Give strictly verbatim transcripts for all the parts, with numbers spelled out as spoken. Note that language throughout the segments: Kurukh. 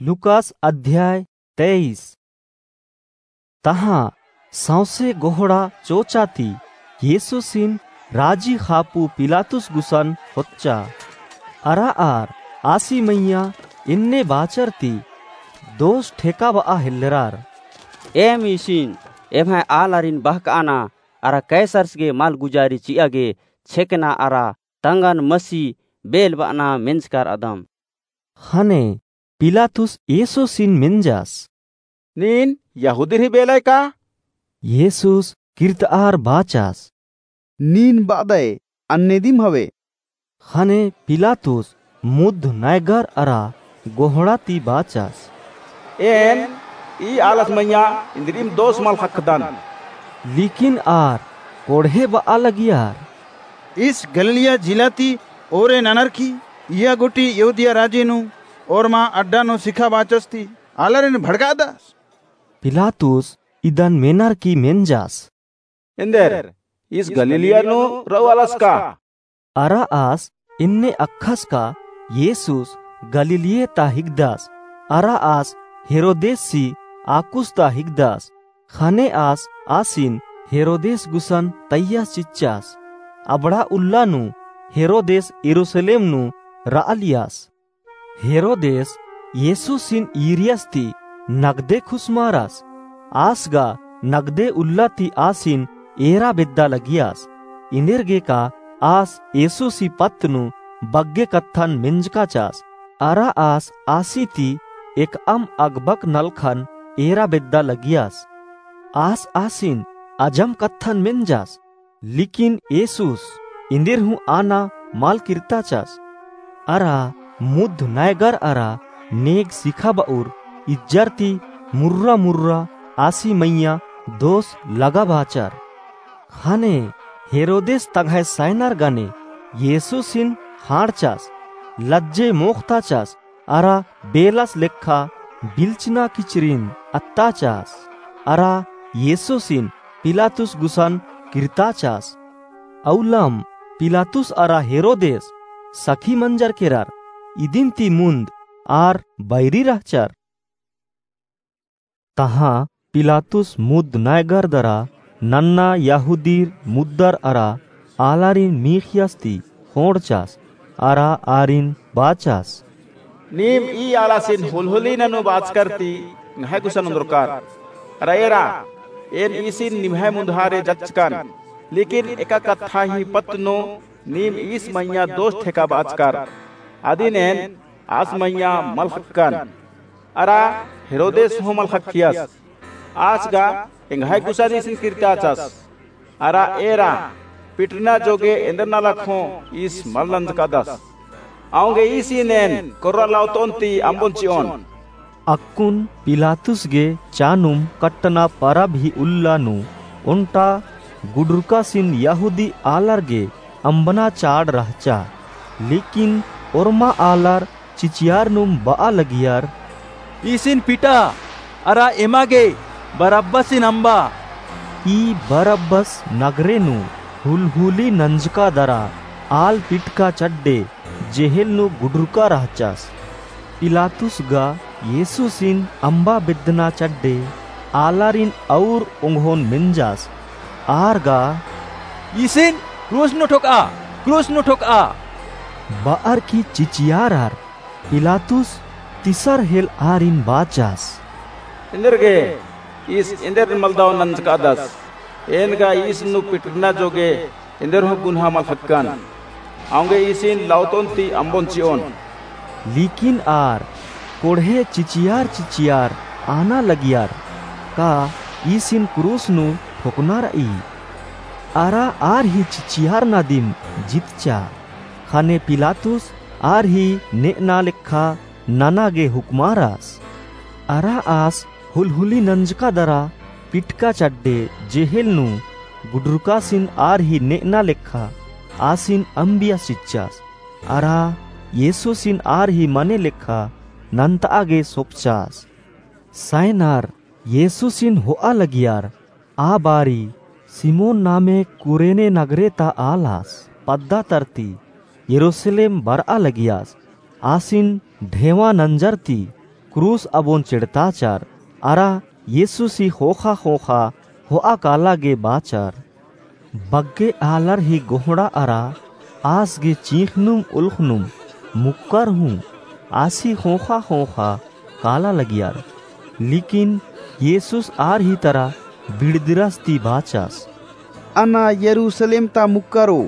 लूकास अध्याय तेईस। तहाँ सौंसे गोहड़ा चोचा ती येसुसिन राजी खापू पिलातुस गुसन होच्चा। अरा आर आसी मइय्याँ एन्ने बाचर ती दोस ठेकाबआ हेल्लरार। एम ईसिन एम्है आलारिन बहकअना अरा कैसरस गे मालगुजारी चिआ गे छेकना अरा तंगन मसी बेल बअना मेंजकर अदम। ख़ने पिलातुस येसुसिन मेंजस। नीन यहूदीर ही बेलय का? येसुस किर्तआर बाचस। नीन बअदय अन्ने दिम हवे। ख़ने पिलातुस मुद्ध नैगर अरा गोहड़ा ती बाचस। एन ई आलस मइय्याँ इन्द्रिम दोस मल ख़क्खदन। लेकिन आर कोड़हे बआ लगियर। ईस गलीलिया जिला ती ओरे ननर की इया गूटी यहूदिया राजी नू ओर्मा अड्डा नू सिखाबाचस ती आलारिन भड़कादस। पिलातुस इदन मेनर की मेंजस। एन्देर ईस गलीलिया नू रऊ आलस का? अरा आस एन्ने अख़स का येसुस गलीलिया ता हिकदस। अरा आस हेरोदेसी आकुस ता हिकदस। ख़ने आस आसिन हेरोदेस गुसन तैयस चिच्चस। अबड़ा उल्ला नू हेरोदेस यरूसलेम नू रआलियस। हेरोदेस येसुसिन ईरियस ती नगदे खुसमारस। आस गा नगदे उल्ला ती आसिन एरा बेद्दा लगियस। एन्देरगे का आस येसुसी पत्त नू बग्गे कत्थन मेंजकाचस। अरा आस आसी ती एकअम अगबक नलखन एरा बेद्दा लगियस। आस आसिन अजम कत्थन मेंजस। लेकिन येसुस एन्देर हूँ आना मल किर्ताचस। अरा मुद्ध नैगर अरा नेग सिखाबउर इज्जर ती मुर्रा मुर्रा आसी मइय्याँ दोस लगाबाचर। ख़ने हेरोदेस तंग्है सैनर गने येसुसिन ख़ाँड़चस, लज्जे मोख़ताचस, अरा बेलस लेखा बिल्चना किचरिन अत्ताचस। अरा येसुसिन पिलातुस गुसन किर्ताचस। अउलम पिलातुस अरा हेरोदेस सखी मंजर केरर। इदिन ती मुन्द आर बैरी रहचर। तहाँ पिलातुस मुद्ध नैगर दरा नन्ना यहूदीर मुद्दर अरा आलारिन मीख़ियस ती ख़ोंड़चस अरा आरिन बाचस। नीम ई आलासिन हुलहुली ननू बाचकर ती एंग्है गुसन ओन्द्रकर। अरा एरा, एन ईसिन निम्है मुन्दहारे जच्चकन, लेकिन एका कत्था ही पत्त नू नीम ईस मइय्याँ दोस ठेकाबाचकर। अदिन एन आस मइय्याँ मल ख़क्कन। अरा हेरोदेस हूँ मल ख़क्खियस। आस गा एंग्है गुसन ईसिन किर्ताचस। अरा एरा, पिटरना जोगे एन्देर नलख हूँ ईस मल नंजकादस। औंगे ईसिन एन कोर्रा लौतोन ती अम्बोन चिओन। अक्कुन पिलातुस गे चानुम कट्टना परब ही उल्ला नू ओन्टा गुडुरकासिन यहूदी आलर गे अम्बना चाड़ रहचा। लेकिन ओर्मा आलर चिचियारनुम बआ लगियर, ईसिन पिटा, अरा एमा गे बरब्बसिन अम्बा। ई बरब्बस नगरे नू हुलहुली नंजका दरा आल पिटका चड्डे जेहेल नू गुडुरका रहचस। पिलातुस गा येसुसिन अम्बा बेद्दना चड्डे आलारिन अउर ओंगोन मेंजस। आर गा, ईसिन क्रूस नू ठोकआ, क्रूस नू ठोकआ। बअर की चिचियारर। पिलातुस तिसर हेल आरिन बाचस। एन्देरगे ईस एन्देर मलदव नंजकादस। एन गा ईस नू पिटरना जोगे एन्देर हूँ गुन्हा मल ख़क्कन। औंगे ईसिन लौतोन ती अम्बोन चिओन। लेकिन आर कोड़हे चिचियार चिचियार आना लगियर, का ईसिन क्रूस नू ठोकना रई। अरा आर ही चिचियारना दिम जितचा। ख़ने पिलातुस आर ही नेअना लेखा नना गे हुकमारस। अरा आस हुलहुली नंजका दरा पिटका चड्डे जेहेल नू गुडुरकासिन आर ही नेअना लेखा आसिन अम्बियस चिच्चस। अरा येसुसिन आर ही मने लेखा नन्तआ गे सोपचस। सैनर येसुसिन होआ लगियर। आ बारी सिमोन नामे कुरेने नगरे ता आलस पद्दा तरती यरूसलेम बरआ लगियस। आसिन ढेवा नंजर ती क्रूस अबोन चेड़ताचर, अरा येसुसी ख़ोख़ा ख़ोख़ा होआ काला गे बाचर। बग्गे आलर ही गोहड़ा अरा आस गे चींख़नुम उल्ख़नुम मुक्कर हूँ आसी ख़ोख़ा ख़ोख़ा काला लगियर। लेकिन येसुस आर ही तरा बिड़दिरस ती बाचस, अना यरूसलेम ता मुक्करो,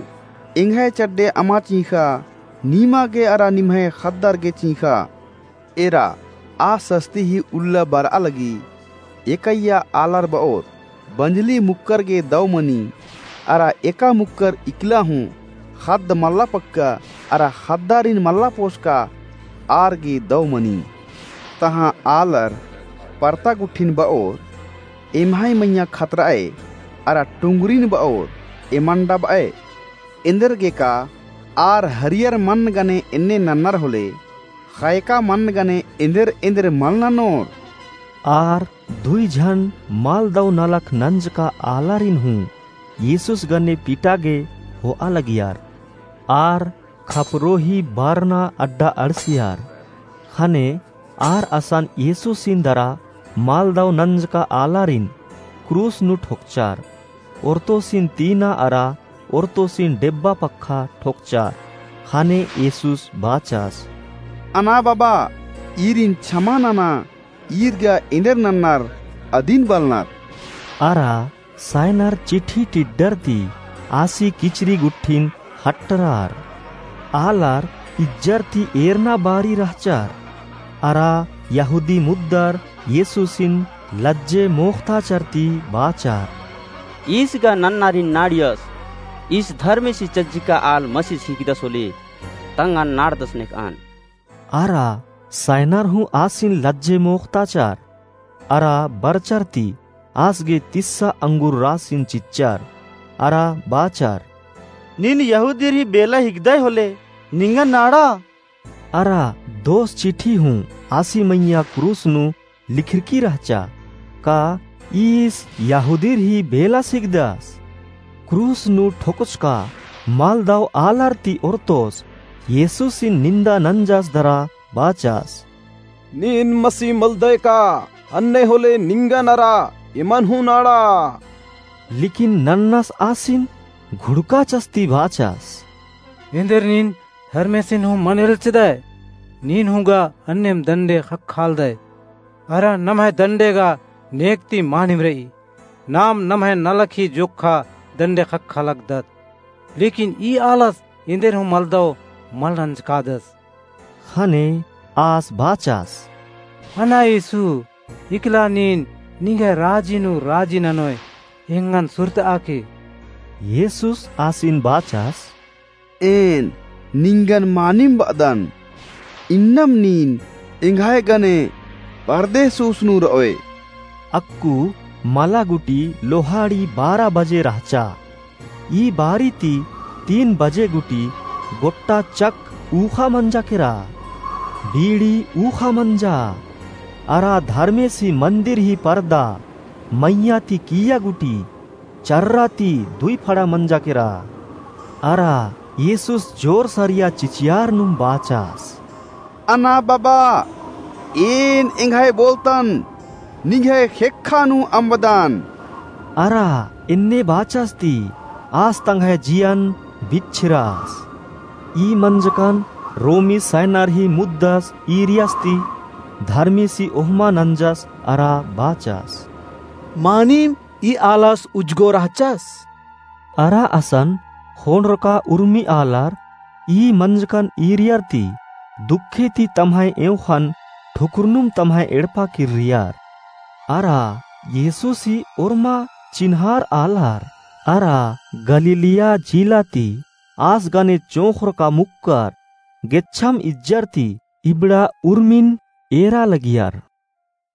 एंग्है चड्डे अमा चींख़ा, नीमा गे अरा निम्है ख़द्दर गे चींख़ा। एरा आ सस्ती ही उल्ला बरआ लगी। एकैया आलर बओर बंजली मुक्कर गे दौ मनी, अरा एका मुक्कर इकला हूँ ख़द्द मल्ला पक्का अरा ख़द्दारिन मल्ला पोसका आर गे दौ मनी। तहाँ आलर परता गुट्ठिन बओर एम्है मइय्याँ खतरअय, अरा टुंगरिन बओर एमन डबअय। एन्देरगेका आर हरियर मन्न गने एन्ने नन्नर होले, ख़यका मन्न गने एन्देर एन्देर मल ननोर। आर दुई झन मल दौ नलख नंजका आलारिन हूँ येसुस गने पिटा गे होआ लगियर। आर खपरो ही बरना अड्डा अंड़सियर। ख़ने आर असन येसुसिन दरा मल दौ नंजका आलारिन क्रूस नू ठोकचर। ओर्तोसिन तीना अरा ओर्तोसिन डेब्बा पक्खा ठोकचर। ख़ने येसुस बाचस, अना बाबा, ईरिन छमा नना, ईर गा एन्देर नन्नर अदिन बलनर। अरा सायनर चिट्ठी टिड्डर ती आसी किचरी गुट्ठिन हट्टरर। आलर इज्जर ती एरना बारी रहचर। अरा यहूदी मुद्दर येसुसिन लज्जे मोख़ताचर ती बाचर, ईस गा नन्नारिन नाड़ियस, ईस धर्मेसी चज्जिका आल मसिस हिकदस होले, तंगन नाड़दस नेकअन। अरा सायनर हूँ आसिन लज्जे मोख़ताचर। अरा बरचर ती आस गे तिस्सा अंगुर रासिन चिच्चर। अरा बाचर, नीन यहूदीर ही बेला हिकदय होले, निंगन नाड़ा। अरा दोस चिट्ठी हूँ आसी मइय्याँ क्रूस नू लिखरकी रहचा, का ईस यहूदीर ही बेलास हिकदस? क्रूस नू ठोकचका मल दौ आलर ती ओर्तोस येसुसिन निन्दा नंजस दरा बाचस, नीन मसी मलदय का, अन्ने होले निंगन अरा एमन हूँ नाड़ा। लेकिन नन्नस आसिन घुड़काचस ती बाचस, एन्देर नीन धर्मेसिन हूँ मल एल्चदय, नीन हूँ गा अन्नेम दंडे ख़क्खालदय। अरा नम्है दंडे गा नेग ती मानिम रई, नाम नम्है नलख ही जोक्खा दंडे ख़क्खा लगदत। लेकिन ई आलस एन्देर हूँ मल दौ मल नंजकादस। ख़ने आस बाचस, अना येसु, इकला नीन निंग्है राजी नू राजी ननोय एंगन सुरतआ के। येसुस आसिन बाचस, एन निंगन मानिम बअदन, इन्नम नीन एंग्है गने परदेस उसन नू रओय। अक्कु मला गुटी लोहाड़ी बारा बजे रहचा। ई बारी ती तीन बजे गुटी गोट्टा चक ऊख़ा मंजा केरा, बीड़ी ऊख़ा मंजा, अरा धर्मेसी मंदिर ही परदा मइय्याँ ती किइय्या गुटी चर्रा ती दुई फड़ा मंजा केरा। अरा येसुस जोर सरिया चिचियार नुम बाचस, अना बाबा, एन एंग्है बोलतन निंग्है ख़ेक्खा नू अम्बदन। अरा एन्ने बाचस ती आस तंग्है जियन बिच्छिरस। ई मंजकन रोमी सैनर ही मुद्दस ईरियस ती धर्मेसी ओहमा नंजस अरा बाचस, मानिम ई आलस उजगो रहचस। अरा असन ख़ोंड़रका उर्मी आलर ई मंजकन ईरियर ती दुखे ती तम्है एंवख़न ठुकुरनुम तम्है एड़पा किर्रियर। अरा येसुसी ओर्मा चिन्हार आलर अरा गलीलिया जिला ती आस गने चोंख़रका मुक्कर गेच्छम इज्जर ती इबड़ा उर्मिन एरा लगियर।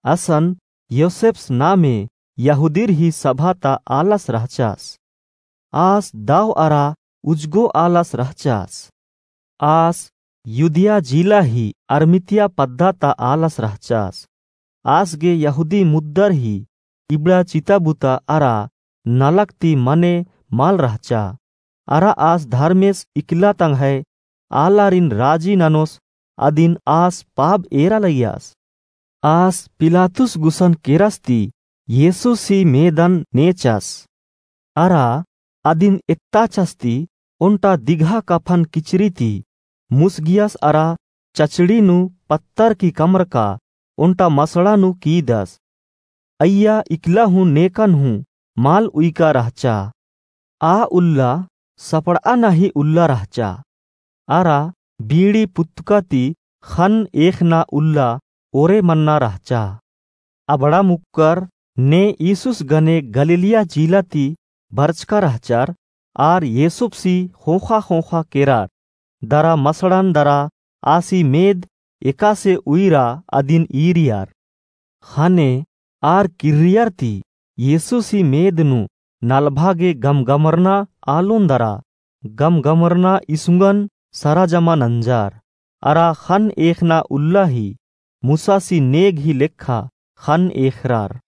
असन योसेप्स नामे यहूदीर ही सभा ता आलस रहचस। आस दव अरा उजगो आलस रहचस। आस युदिया जिला ही अरमितिया पद्दा ता आलस रहचस। आस गे यहूदी मुद्दर ही इबड़ा चिता बुता अरा नलख ती मने मल रहचा। अरा आस धर्मेस इकला तंग्है आलारिन राजी ननोस अदिन आस पाब एरा लगियस। आस पिलातुस गुसन केरस ती येसुसी मेदन नेचस। अरा अदिन एत्ताचस ती ओन्टा दिगहा कफन किचरी ती मुसगियस अरा चचड़ी नू पत्तर की कमरका ओन्टा मसड़ा नू कीदस। अइय्या इकला हूँ नेकन हूँ मल उइका रहचा। आ उल्ला सपड़आ नाहीं उल्ला रहचा। अरा बीड़ी पुत्तका ती ख़न्न एख़ना उल्ला ओरे मन्ना रहचा। अबड़ा मुक्कर ने ईसुस गने गलीलिया जिला ती बरचका रहचर, आर येसुपसी ख़ोख़ा ख़ोख़ा केरर, दरा मसड़न दरा आसी मेद एकासे उइरा अदिन ईरियर। ख़ने आर किर्रियर ती येसुसी मेद नू नलभा गे गमगमरना आलोन दरा, गमगमरना इसुंगन सरा जमा नंजर। अरा ख़न्न एख़ना उल्ला ही मुसासी नेग ही लेखा ख़न्न एख़रर।